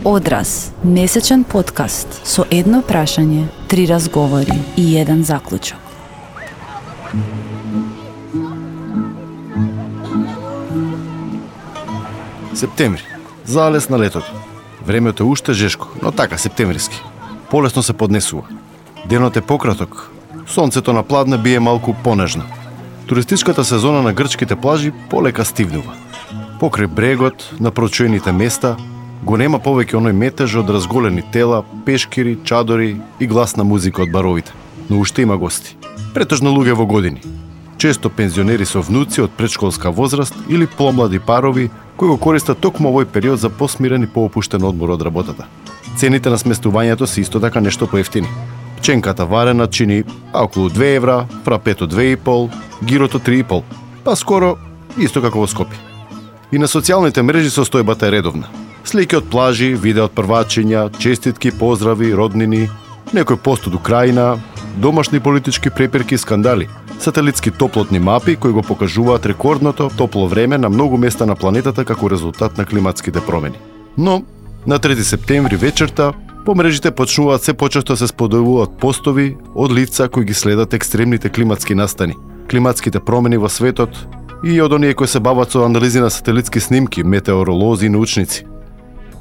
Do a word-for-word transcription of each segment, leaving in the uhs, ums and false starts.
Одраз, месечен подкаст со едно прашање, три разговори и еден заклучок. Септември. Залез на летото. Времето е уште жешко, но така септемвриски. Полесно се поднесува. Денот е пократок. Сонцето на пладне бие малку понежно. Туристичката сезона на грчките плажи полека стивнува. Покрај брегот, на прочуените места, го нема повеќе оној метеж од разголени тела, пешкири, чадори и гласна музика од баровите. Но уште има гости. Претежно луѓе во години. Често пензионери со внуци од предшколска возраст или помлади парови кои го користат токму овој период за посмирен и поопуштен одмор од работата. Цените на сместувањето се исто така нешто поевтини. Пченката варена чини околу две евра, фрапето две и пол, гирото три и пол. Па скоро исто како во Скопје. И на социјалните мрежи состојбата е редовна. Слики од плажи, видео од првачиња, честитки, поздрави, роднини, некој пост од Украина, домашни политички препирки и скандали, сателитски топлотни мапи кои го покажуваат рекордното топло време на многу места на планетата како резултат на климатските промени. Но на трети септември вечерта по мрежите почнуваат се почесто се споделуваат постови од лица кои ги следат екстремните климатски настани, климатските промени во светот и од оние кои се бават со анализи на сателитски снимки, метеоролози и научници.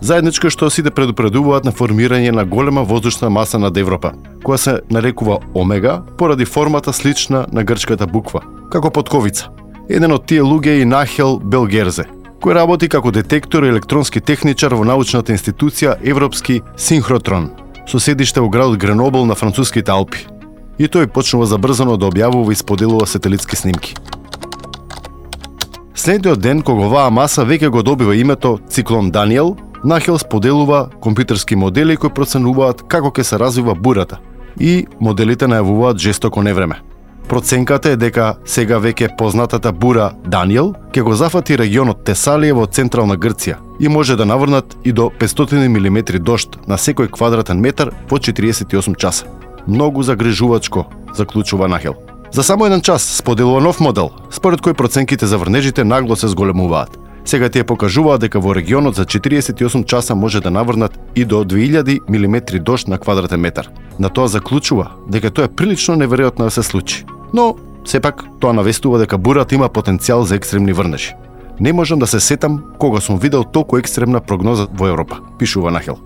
Заедничко е што сите предупредуваат на формирање на голема воздушна маса над Европа, која се нарекува Омега поради формата слична на грчката буква, како потковица. Еден од тие луѓе е и Нахел Белгерзе, кој работи како детектор и електронски техничар во научната институција Европски Синхротрон, со седиште во градот Гренобл на француските Алпи. И тој почнува забрзано да објавува и споделува сателитски снимки. Следниот ден, кога оваа маса веќе го добива името Циклон Даниел, Нахел споделува компјутерски модели кои проценуваат како ќе се развива бурата и моделите најавуваат жестоко невреме. Проценката е дека сега веќе познатата бура Даниел ќе го зафати регионот Тесалија во централна Грција и може да наврнат и до петстотини милиметри дожд на секој квадратен метар во четириесет и осум часа. Многу загрижувачко, заклучува Нахел. За само еден час споделува нов модел, според кој проценките за врнежите нагло се зголемуваат. Сега тие покажуваат дека во регионот за четириесет и осум часа може да наврнат и до две илјади милиметри дожд на квадратен метар. На тоа заклучува дека тоа е прилично неверојатно да се случи. Но, сепак, тоа навестува дека бурата има потенцијал за екстремни врнежи. Не можам да се сетам кога сум видел толку екстремна прогноза во Европа, пишува Нахел.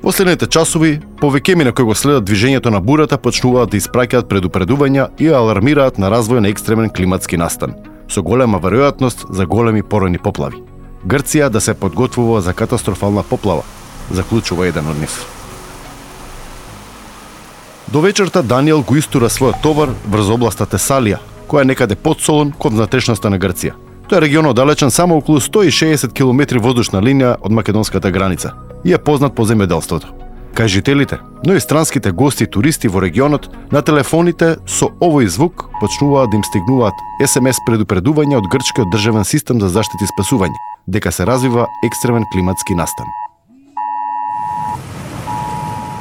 Во следните часови, повеќемина кои го следат движењето на бурата почнуваат да испраќаат предупредувања и алармираат на развој на екстремен климатски настан, со голема веројатност за големи поројни поплави. Грција да се подготвува за катастрофална поплава, заклучува еден од нив. До вечерта Даниел го истура својот товар врз областа Тесалија, која е некаде под Солун кон внатрешноста на Грција. Тој е регион оддалечен само околу сто и шеесет километри воздушна линија од македонската граница и е познат по земјоделството. Кај жителите, но и странските гости и туристи во регионот, на телефоните со овој звук почнуваат да им стигнуваат ес ем ес предупредувања од грчкиот државен систем за заштита и спасување, дека се развива екстремен климатски настан.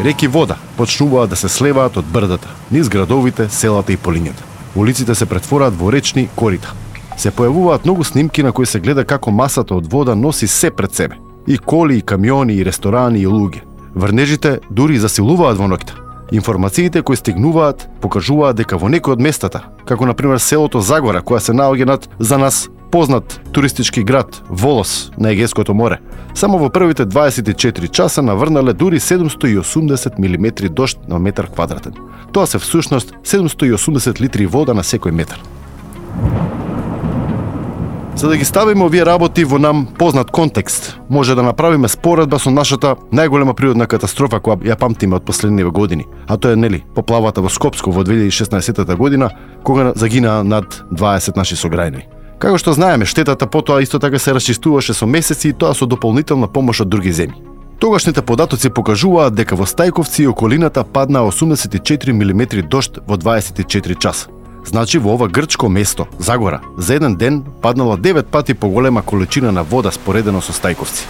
Реки вода почнуваат да се слеваат од брдата, низ градовите, селата и полињата. Улиците се претвораат во речни корита. Се појавуваат многу снимки на кои се гледа како масата од вода носи се пред себе. И коли, и камиони, и ресторани, и луѓе. Врнежите дури засилуваат во ноќта. Информациите кои стигнуваат покажуваат дека во некои од местата, како на пример селото Загора, која се наоѓа над за нас познат туристички град Волос на Егејското море, само во првите дваесет и четири часа наврнале дури седумсто и осумдесет милиметри дожд на метар квадратен. Тоа се всушност седумсто и осумдесет литри вода на секој метар. За да ги ставиме овие работи во нам познат контекст, може да направиме споредба со нашата најголема природна катастрофа која ја памтиме од последниве години, а тоа е нели поплавата во Скопско во две илјади и шеснаесетта година, кога загина над дваесет наши сограѓани. Како што знаеме, штетата потоа исто така се расчистуваше со месеци и тоа со дополнителна помош од други земји. Тогашните податоци покажуваат дека во Стајковци и околината падна осумдесет и четири милиметри дожд во дваесет и четири часа. Значи во ова грчко место, Загора, за еден ден паднала девет пати поголема количина на вода споредено со Стајковци.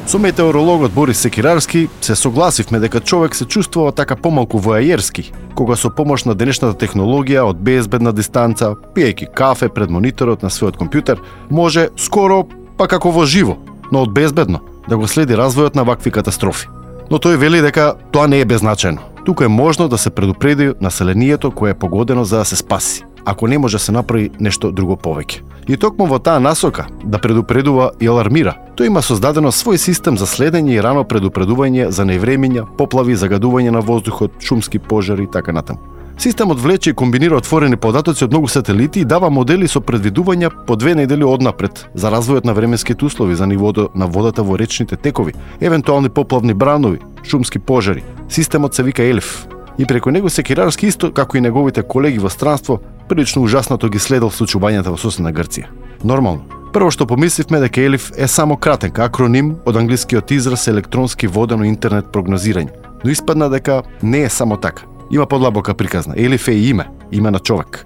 Со метеорологот Борис Секирарски се согласивме дека човек се чувствува така помалку воајерски, кога со помош на денешната технологија од безбедна дистанца, пиејќи кафе пред мониторот на својот компјутер, може скоро, па како во живо, но од безбедно да го следи развојот на вакви катастрофи. Но тој вели дека тоа не е беззначајно. Тука е можно да се предупреди населението кое е погодено за да се спаси, ако не може да се направи нешто друго повеќе. И токму во таа насока да предупредува и алармира, тој има создадено свој систем за следење и рано предупредување за невремиња, поплави, загадување на воздухот, шумски пожари и така натаму. Системот влече и комбинира отворени податоци од многу сателити и дава модели со предвидувања по две недели однапред за развојот на временските услови, за нивото на водата во речните текови, евентуални поплавни бранови, шумски пожари. Системот се вика Елиф. И преку него Секирарски исто, како и неговите колеги во странство, прилично ужаснато ги следел случувањата во соседна Грција. Нормално. Прво што помисливме дека Елиф е само кратенка акроним од англискиот израз електронски водено интернет прогнозирање, но испадна дека не е само така. Има подлабока приказна. Елиф е име, име на човек.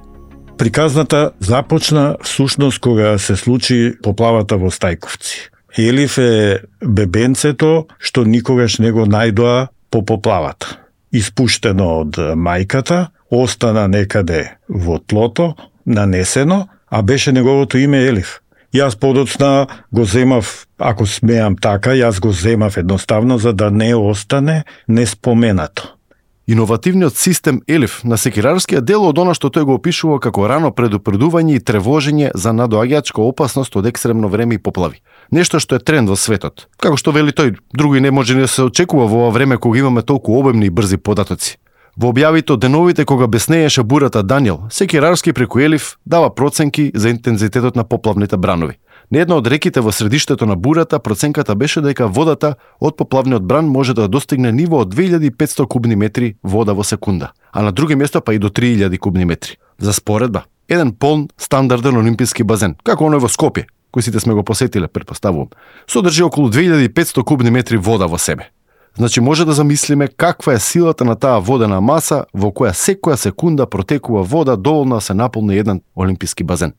Приказната започна всушност кога се случи поплавата во Стајковци. Елиф е бебенцето што никогаш не го најдоа по поплавата. Испуштено од мајката, остана некаде во тлото, нанесено, а беше неговото име Елиф. Јас подоцна го земав, ако смеам така, јас го земав едноставно за да не остане неспоменато. Иновативниот систем Елиф на Секирарскиот дел од она што тој го опишува како рано предупредување и тревожење за надоаѓачка опасност од екстремно време и поплави. Нешто што е тренд во светот. Како што вели тој, други не може ни да се очекува во ова време кога имаме толку обемни и брзи податоци. Во објавите од деновите кога беснееше бурата Даниел, Секирарски преку Елиф дава проценки за интензитетот на поплавните бранови. На една од реките во средиштето на бурата проценката беше дека водата од поплавниот бран може да достигне ниво од две илјади и петстотини кубни метри вода во секунда, а на други места па и до три илјади кубни метри. За споредба, еден полн стандарден олимписки базен, како оној во Скопје, кој сите сме го посетиле, претпоставувам, содржи околу две илјади и петстотини кубни метри вода во себе. Значи може да замислиме каква е силата на таа водена маса во која секоја секунда протекува вода доволно да се наполни еден олимписки базен.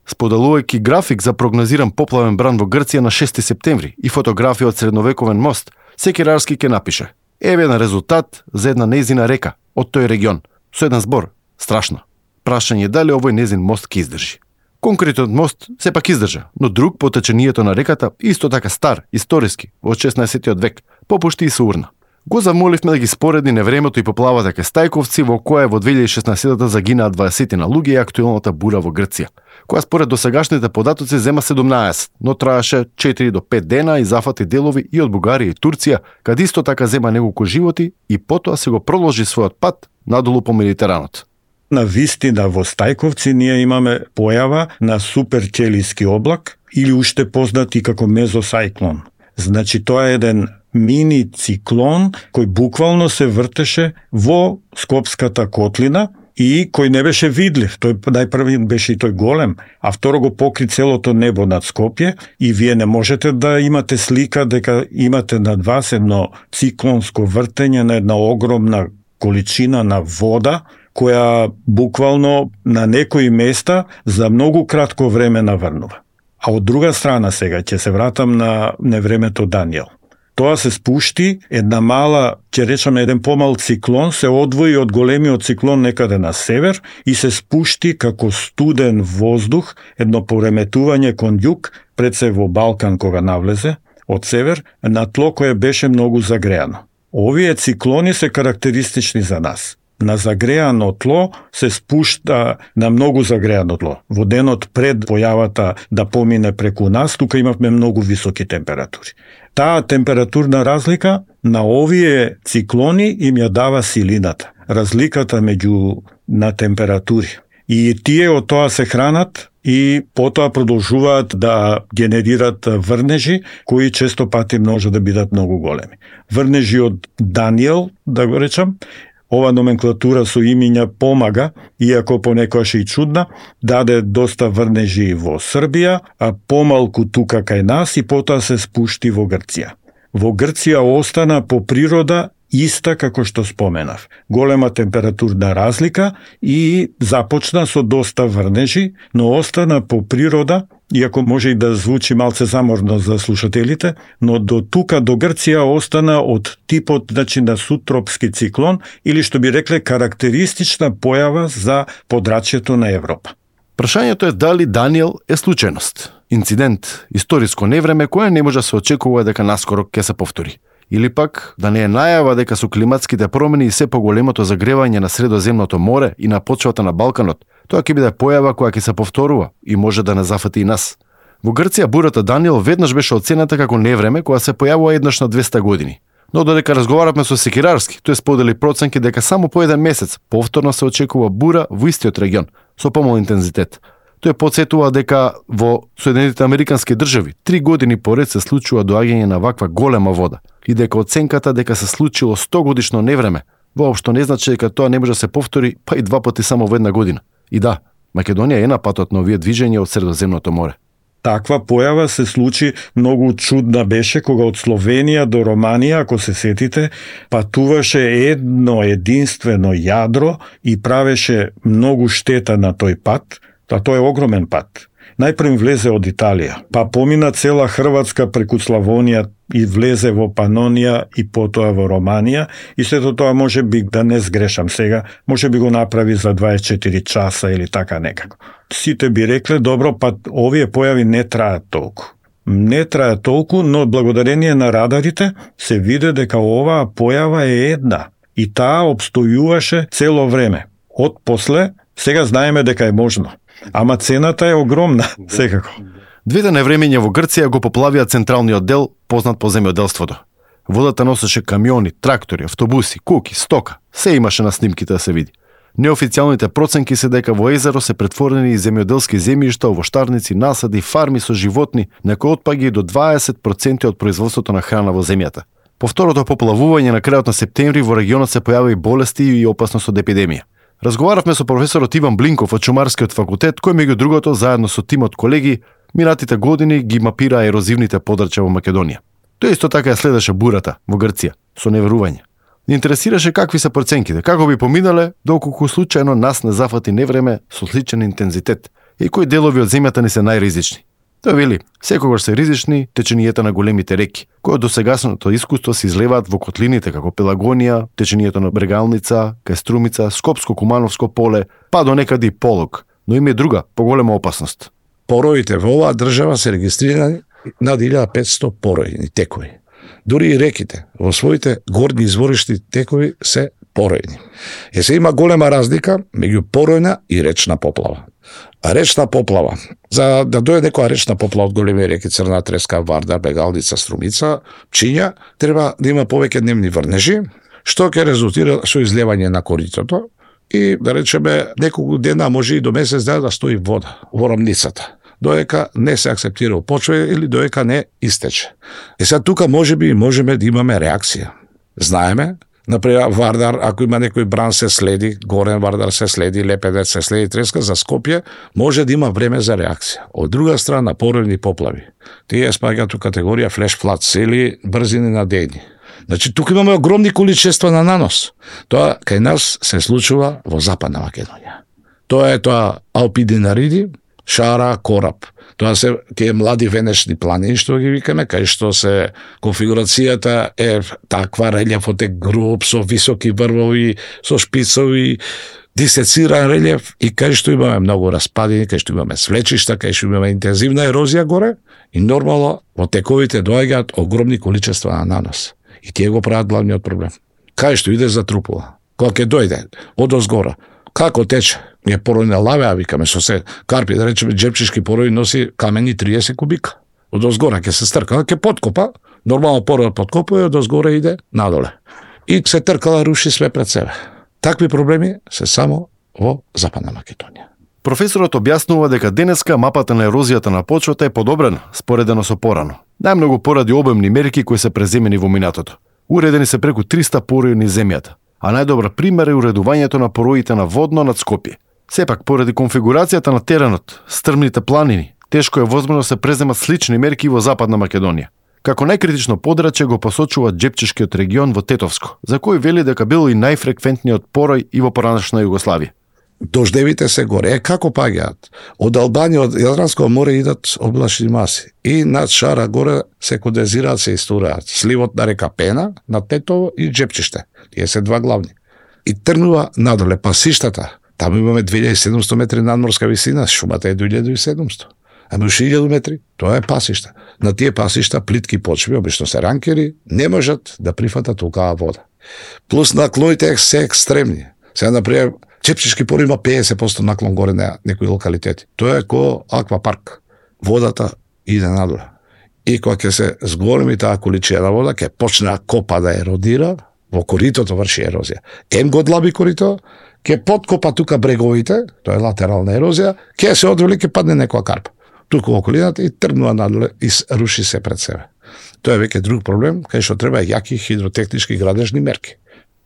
Споделувајќи график за прогнозиран поплавен бран во Грција на шести септември и фотографија од средновековен мост, Секирарски ќе напише: еве еден резултат за една незина река од тој регион, со еден збор: страшно. Прашање дали овој незин мост ќе издржи. Конкретниот мост сепак издржа, но друг по течението на реката, исто така стар, историски, од шеснаесеттиот век, попушти и се урна. Го замоливме да ги спореди невремето и поплавата кај Стајковци, во која во две илјади и шеснаесетта загинаа дваесет луѓе и актуелната бура во Грција, која според досегашните податоци зема седумнаесет, но траеше четири до пет дена и зафати делови и од Бугарија и Турција, каде исто така зема неколку животи и потоа се го продолжи својот пат надолу по Медитеранот. На вистина во Стајковци ние имаме појава на суперчелиски облак или уште познат и како мезосајклон. Значи тоа е еден мини циклон кој буквално се вртеше во Скопската котлина и кој не беше видлив. Тој најпрви беше и тој голем, а второ го покри целото небо над Скопје и вие не можете да имате слика дека имате над вас едно циклонско вртење на една огромна количина на вода која буквално на некои места за многу кратко време наврнува. А од друга страна сега ќе се вратам на невремето Даниел. Тоа се спушти, една мала, ќе речеме еден помал циклон, се одвои од големиот циклон некаде на север и се спушти како студен воздух, едно пореметување кон југ, пред се во Балкан кога навлезе, од север, на тло кое беше многу загреано. Овие циклони се карактеристични за нас. На загреано тло се спушта на многу загреано тло. Во денот пред појавата да помине преку нас, тука имавме многу високи температури. Таа температурна разлика на овие циклони им ја дава силината, разликата меѓу на температури. И тие од тоа се хранат и потоа продолжуваат да генерират врнежи, кои често пати може да бидат многу големи. Врнежи од Даниел, да го речам, ова номенклатура со имиња помага, иако понекогаш и чудна, даде доста врнежи во Србија, а помалку тука кај нас и потоа се спушти во Грција. Во Грција остана по природа иста како што споменав. Голема температурна разлика и започна со доста врнежи, но остана по природа, иако може и да звучи малце заморно за слушателите, но до тука, до Грција, остана од типот, значи, на субтропски циклон, или што би рекле карактеристична појава за подрачјето на Европа. Прашањето е дали Даниел е случајност. инцидент, историско невреме кое не може да се очекува дека наскоро ќе се повтори. Или пак да не е најава дека со климатските промени и се поголемото загревање на Средоземното море и на почвата на Балканот, тоа ќе биде појава која ќе се повторува и може да не зафати и нас. Во Грција бурата Даниел веднаш беше оценета како невреме која се појавува еднаш на двеста години. Но додека разговаравме со Секирарски, тој сподели проценки дека само по еден месец повторно се очекува бура во истиот регион, со помал интензитет. Тој потсетува дека во Соединетите Американски држави три години поред се случува доаѓање на ваква голема вода и дека оценката дека се случило сто годишно невреме воопшто не значи дека тоа не може да се повтори па и два пати само во една година. И да, Македонија е на патот на овие движења од Средоземното море. Таква појава се случи многу чудна беше кога од Словенија до Романија, ако се сетите, патуваше едно единствено јадро и правеше многу штета на тој пат, а тоа е огромен пат. Најпрем влезе од Италија, па помина цела Хрватска преку Славонија и влезе во Панонија и потоа во Романија и сето тоа може би, да не сгрешам сега, може би го направи за дваесет и четири часа или така некако. Сите би рекле, добро, па овие појави не траат толку. Не траат толку, но благодарение на радарите се виде дека оваа појава е една и таа обстојуваше цело време. Од после, сега знаеме дека е можно. Ама цената е огромна, секако. Двете невремења во Грција го поплавија централниот дел, познат по земјоделството. Водата носеше камиони, трактори, автобуси, куки, стока. Се имаше на снимките да се види. Неофицијалните проценки се дека во езеро се претворени и земјоделски земјишта, овоштарници, насади, фарми со животни, некои отпаѓа и до дваесет проценти од производството на храна во земјата. По второто поплавување на крајот на септември во регионот се појави болести и опасност од епидемија. Разговаравме со професорот Иван Блинков од Шумарскиот факултет, кој меѓу другото заедно со тимот колеги минатите години ги мапира ерозивните подрачја во Македонија. Тој исто така ја следеше бурата во Грција со неверување. Ни интересираше какви се проценките, како би поминале доколку случајно нас не зафати невреме со сличен интензитет и кои делови од земјата ни се најризични. Тој вели, секогаш се ризични теченијата на големите реки, кои од досегашното искуство се излеваат во котлините како Пелагонија, теченијето на Брегалница, Кајструмица, Скопско-Кумановско поле, па до некаде и Полог, но има и друга, поголема опасност. Пороите во оваа држава се регистрирани над илјада и петсто поројни текови. Дури и реките во своите горни изворишни текови се поројни. Е се има голема разлика меѓу поројна и речна поплава. А речна поплава, за да дојде некоја речна поплава од големи реки Црна Треска, Вардар, Бегалница, Струмица, Пчиња, треба да има повеќе дневни врнежи, што ќе резултира со излевање на коритото и, да речеме, неколку дена, може и до месец дена да стои вода во рамницата, доека не се акцептира почва или доека не истече. И сега тука може би можеме да имаме реакција. Знаеме, например, Вардар, ако има некој бран се следи, Горен Вардар се следи, Лепедец се следи, Треска за Скопје, може да има време за реакција. Од друга страна, поројни поплави. Тие спаѓаат у категорија флеш флад или брзини на дејни. Значи, тука имаме огромни количества на нанос. Тоа кај нас се случува во Западна Македонија. Тоа е тоа Алпидинариди, Шара, Кораб. Тоа се тие млади венечни планини, што ги викаме, кај што се конфигурацијата е таква, релјефот е груб, со високи врвови, со шпицови, дисециран релјеф и кај што имаме многу распадини, кај што имаме свлечишта, кај што имаме интензивна ерозија горе и нормално во тековите доаѓаат огромни количества на нанос. И тие го прават главниот проблем. Кај што иде затрупува. Кога ќе дојде од озгора, како тече? Ние поројна лавеа, викаме, со се карпи, да речеме, джепчишки порој носи камени триесет кубика. Од озгора ќе се стркала, ќе подкопа, нормално порој подкопува и од озгора иде надоле. И се тркала, руши све пред себе. Такви проблеми се само во Западна Македонија. Професорот објаснува дека денеска мапата на ерозијата на почвата е подобрена, споредено со порано. Најмногу поради обемни мерки кои се преземени во минатото. Уредени се преку триста порои низ земјата, а најдобар пример е уредувањето на пороите на Водно над Скопје. Сепак, поради конфигурацијата на теренот, стрмните планини, тешко е возможно се преземат слични мерки во Западна Македонија. Како најкритично подрачје го посочува Джепчишкиот регион во Тетовско, за кој вели дека бил и најфреквентниот порој и во поранешна Југославија. Дождевите се горе. Е, како паѓаат? Од Албанија, од Јадранско море идат облачни маси. И над Шара горе се кондензираат, се истураат. Сливот на река Пена, на Тетово и Джепчиште. Тие се два главни. И тргнува надоле пасиштата. Таму имаме две илјади и седумсто метри надморска висина, шумата е до илјада и седумсто. Ама уште илјаду метри, тоа е пасишта. На тие пасишта плитки почви, обично се ранкери, не можат да прифатат толкава вода. Плюс наклоните се екстремни. Сега, например, Чепчишки пор има педесет проценти наклон горе на некои локалитети. Тоа е ко аквапарк. Водата иде надоле. И кога ќе се зголеми таа количина вода, ќе почне да копа да еродира, во коритото врши ерозија. Ем го длаби корито, ќе подкопа тука бреговите, тоа е латерална ерозија, ќе се одвели, ќе падне некоја карпа. Тука во околината и тргнува надоле и руши се пред себе. Тоа е веќе друг проблем, кај што треба јаки хидротехнички градежни мерки.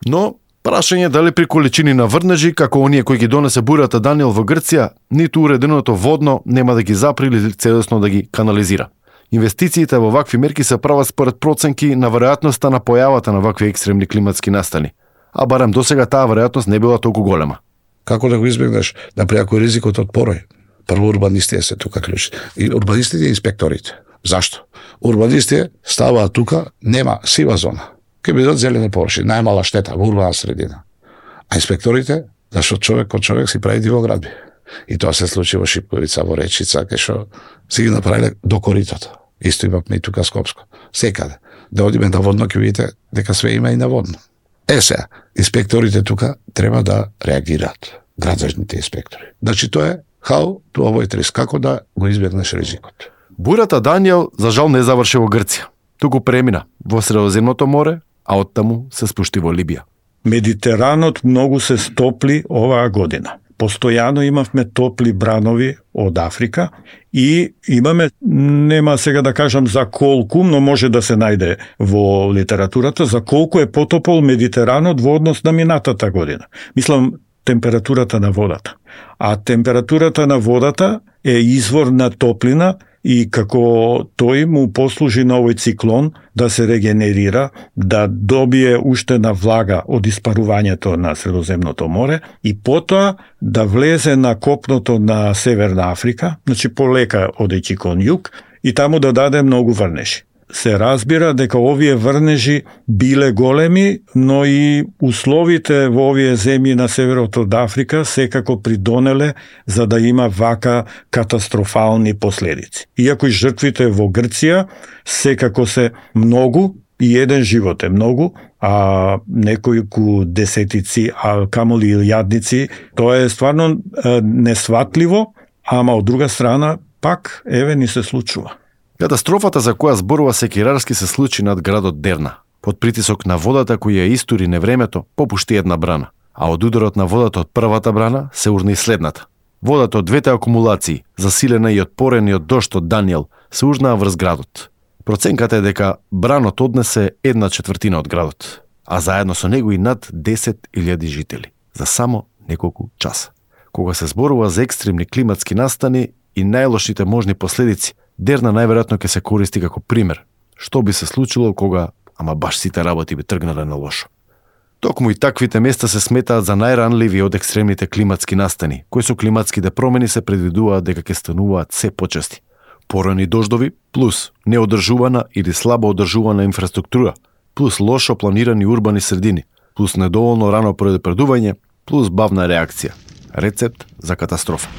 Но прашање дали при количини на врнежи, како оние кои ги донесе бурата Даниел во Грција, ниту уреденото водно нема да ги запри или целосно да ги канализира. Инвестициите во вакви мерки се прават според проценки на веројатноста на појавата на вакви екстремни климатски настани. А барем досега таа веројатност не била толку голема. Како да го избегнеш? Например, ако е ризикот од порој. Прво урбанистите се тука клучи. И урбанистите и инспекторите. Зашто? Урбанистите ставаат тука, нема сива зона. Ке бидат зелени површини, најмала штета во урбана средина. А инспекторите, зашто човек кон човек си прави дивоградби. И тоа се случи во Шипковица, во Речица, кај што си ги направиле до коритото. Исто имавме и тука Скопско. Секаде. Да одиме на водно, ќе видите дека све има и на водно. Е сега, инспекторите тука треба да реагираат. Градежните инспектори. Значи тоа е how to avoid risk, како да го избегнеш ризикот. Бурата Даниел за жал не заврши во Грција. Туку премина во Средоземното море, а оттаму се спушти во Либија. Медитеранот многу се стопли оваа година. Постојано имавме топли бранови од Африка и имаме, нема сега да кажам за колку, но може да се најде во литературата, за колку е потопол Медитеранот во однос на минатата година. Мислам, температурата на водата. А температурата на водата е извор на топлина и како тој му послужи на овој циклон да се регенерира, да добие уштена влага од испарувањето на Средоземното море и потоа да влезе на копното на Северна Африка, значи полека одејќи кон југ, и таму да даде многу врнежи. Се разбира дека овие врнежи биле големи, но и условите во овие земји на северот од Африка секако придонеле за да има вака катастрофални последици. Иако и жртвите во Грција секако се многу, и еден живот е многу, а некојку десетици, а камоли илјадници, тоа е стварно несватливо, ама од друга страна пак еве ни се случува. Катастрофата за која зборува Секирарски се случи над градот Дерна. Под притисок на водата која ја истури невремето, попушти една брана, а од ударот на водата од првата брана се урна и следната. Водата од двете акумулации, засилена и од порениот дожд од Даниел, се урнаа врз градот. Проценката е дека бранот однесе една четвртина од градот, а заедно со него и над десет илјади жители, за само неколку часа. Кога се зборува за екстремни климатски настани и најлошите можни последици, Дерна најверојатно ќе се користи како пример. Што би се случило кога, ама баш сите работи би тргнале на лошо. Токму и таквите места се сметаат за најранливи од екстремните климатски настани, кои со климатските промени се предвидуваат дека ќе стануваат се почести. Порани дождови, плюс неодржувана или слабо одржувана инфраструктура, плюс лошо планирани урбани средини, плюс недоволно рано предупредување, плюс бавна реакција. Рецепт за катастрофа.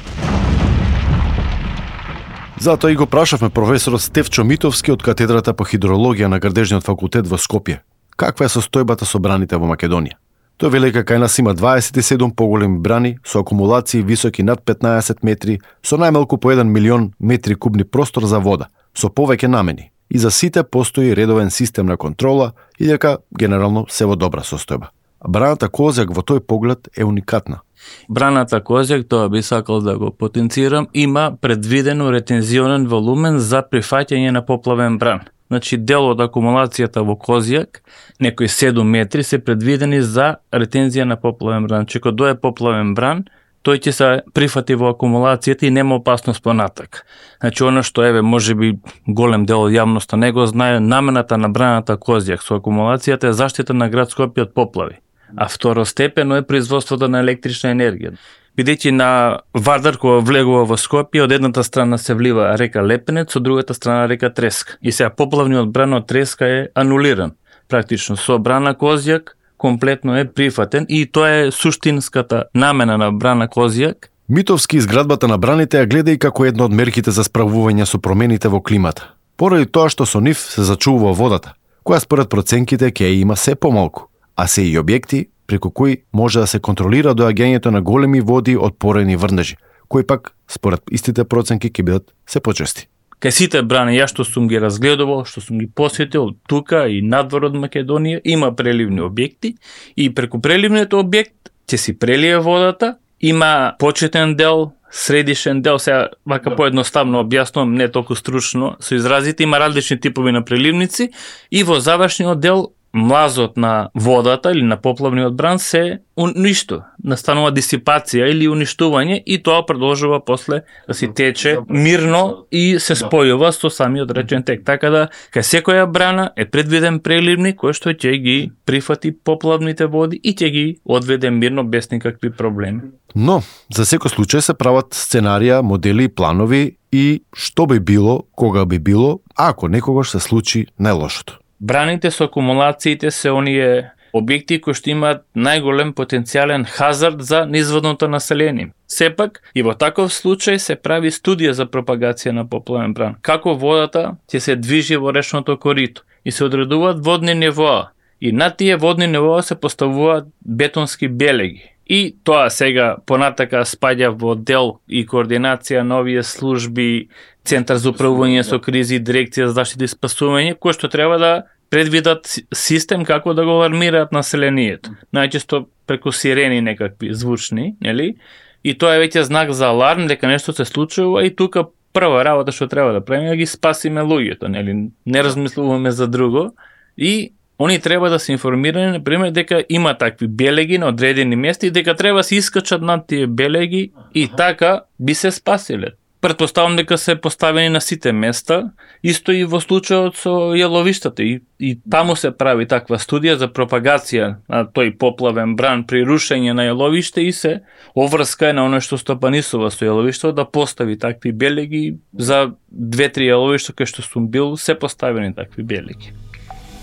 Затоа и го прашавме професорот Стефчо Митовски од катедрата по хидрологија на Градежниот факултет во Скопје. Каква е состојбата со браните во Македонија? Тој вели дека кај нас има дваесет и седум поголеми брани со акумулации високи над петнаесет метри, со најмалку по еден милион метри кубни простор за вода, со повеќе намени. И за сите постои редовен систем на контрола и дека генерално се во добра состојба. Браната Козјак во тој поглед е уникатна. Браната Козјак, тоа би сакал да го потенцирам, има предвидено ретензионен волумен за прифаќање на поплавен бран. Значи, дел од акумулацијата во Козјак, некои седум метри, се предвидени за ретензија на поплавен бран. Че кога дое поплавен бран, тој ќе се прифати во акумулацијата и нема опасност понатак. Значи, оно што еве можеби голем дел од јавноста не го знае, намената на браната Козјак со акумулацијата е заштита на град Скопје од поплави. А второстепено е производството на електрична енергија. Бидејќи на Вардар кога влегува во Скопје, од едната страна се влива река Лепенец, од другата страна река Треска. И сега поплавниот бран од Треска е анулиран. Практично со брана Козјак комплетно е прифатен и тоа е суштинската намена на брана Козјак, Митовски изградбата на браните ја гледа и како една од мерките за справување со промените во климата. Поради тоа што со нив се зачувува водата, која според проценките ќе ја има се помалку, а се и објекти преку кои може да се контролира доаѓањето на големи води од порени врнежи, кои пак според истите проценки ќе бидат се почести. Кај сите брани, ја што сум ги разгледувал, што сум ги посетил тука и надвор од Македонија, има преливни објекти и преку преливниот објект ќе си прелие водата, има почетен дел, средишен дел, сега вака поедноставно објаснувам, не толку стручно со изразите, има различни типови на преливници и во завршниот дел млазот на водата или на поплавниот бран се уништо, настанува дисипација или уништување и тоа продолжува после да си тече мирно и се спојува со самиот речен тек. Така да, кај секоја брана е предвиден преливник кој што ќе ги прифати поплавните води и ќе ги одведе мирно без никакви проблеми. Но, за секој случај се прават сценарија, модели и планови и што би било, кога би било, ако некогаш се случи најлошото. Браните со акумулациите се оние објекти кои што имаат најголем потенцијален хазард за низводното население. Сепак, и во таков случај се прави студија за пропагација на поплавен бран. Како водата ќе се движи во речното корито и се одредуваат водни нивоа. И на тие водни нивоа се поставуваат бетонски белеги. И тоа сега понатака спаѓа во дел и координација на овие служби, Центар за управување со кризи, Дирекција за заштита и спасување, кои што треба да предвидат систем како да го алармираат населението. Најчесто преку сирени некакви звучни, нели? И тоа е веќе знак за аларм дека нешто се случува и тука прва работа што треба да правиме е да ги спасиме луѓето, нели? Не размислуваме за друго и они треба да се информирани, например, дека има такви белеги на одредени места и дека треба да се искачат над тие белеги и така би се спасиле. Претпоставам дека се поставени на сите места, исто и во случајот со јаловиштата и, и таму се прави таква студија за пропагација на тој поплавен бран при рушење на јаловиште и се оврска на оно што стопанисува со јаловиште да постави такви белеги. За две-три јаловишта кај што сум бил се поставени такви белеги.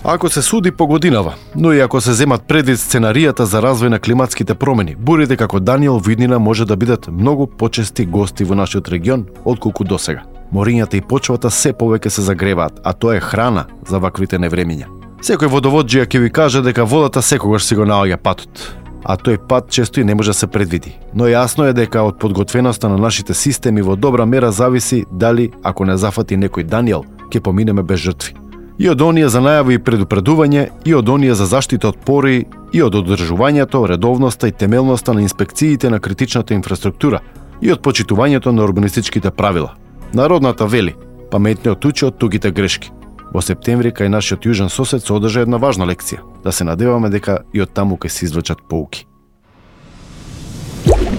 Ако се суди по годинава, но и ако се земат предвид сценаријата за развој на климатските промени, бурите како Даниел во иднина може да бидат многу почести гости во нашиот регион отколку досега. Морињата и почвата се повеќе се загреваат, а тоа е храна за ваквите невремиња. Секој водоводжија ќе ви каже дека водата секогаш си го наоѓа патот, а тој пат често и не може да се предвиди. Но јасно е дека од подготвеноста на нашите системи во добра мера зависи дали, ако не зафати некој Даниел, ќе поминеме без жртви. И од оние за најави и предупредување, и од оние за заштита од пори, и од одржувањето, редовноста и темелноста на инспекциите на критичната инфраструктура, и од почитувањето на урбанистичките правила. Народната вели, паметниот учи од тугите грешки. Во септември кај нашиот јужен сосед се одржа една важна лекција, да се надеваме дека и од таму ќе се извлечат поуки.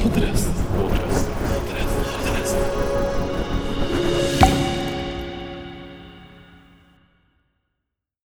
Потрес.